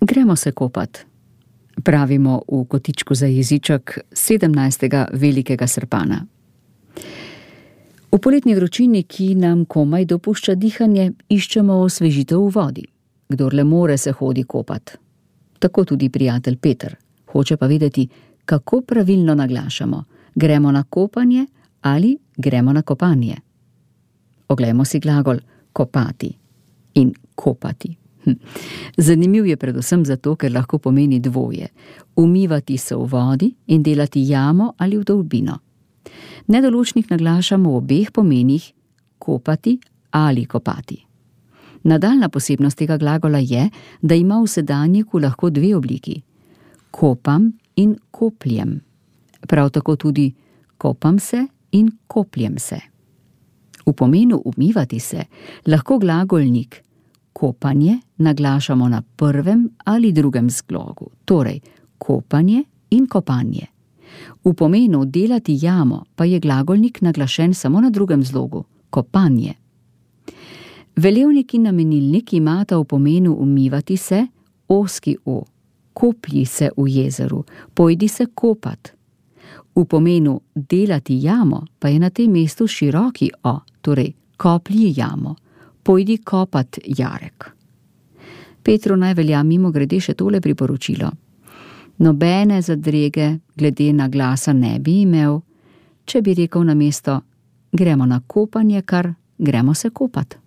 Gremo se kopat, pravimo v kotičku za jeziček 17. velikega srpana. V poletni vročini, ki nam komaj dopušča dihanje, iščemo osvežitev v vodi. Kdor le more, se hodi kopat. Tako tudi prijatelj Peter. Hoče pa vedeti, kako pravilno naglašamo. Gremo na kopanje ali gremo na kopanje. Oglejmo si glagol kopati in kopati. Zanimiv je predvsem zato, ker lahko pomeni dvoje. Umivati se v vodi in delati jamo ali vdolbino. Nedoločnik naglašamo v obeh pomenih kopati ali kopati. Nadaljna posebnost tega glagola je, da ima v sedanjiku lahko dve obliki. Kopam in kopljem. Prav tako tudi kopam se in kopljem se. V pomenu umivati se lahko glagolnik kopanje naglašamo na prvem ali drugem zglogu, torej kopanje in kopanje. V pomenu delati jamo pa je glagolnik naglašen samo na drugem zlogu, kopanje. Velevnik in namenilnik imata v pomenu umivati se ozki o, koplji se v jezeru, pojdi se kopat. V pomenu delati jamo pa je na tem mestu široki o, torej koplji jamo, pojdi kopat jarek. Petru naj velja mimogrede še tole priporočilo. Nobene zadrege glede na glasa ne bi imel, če bi rekel namesto gremo na kopanje, kar gremo se kopat.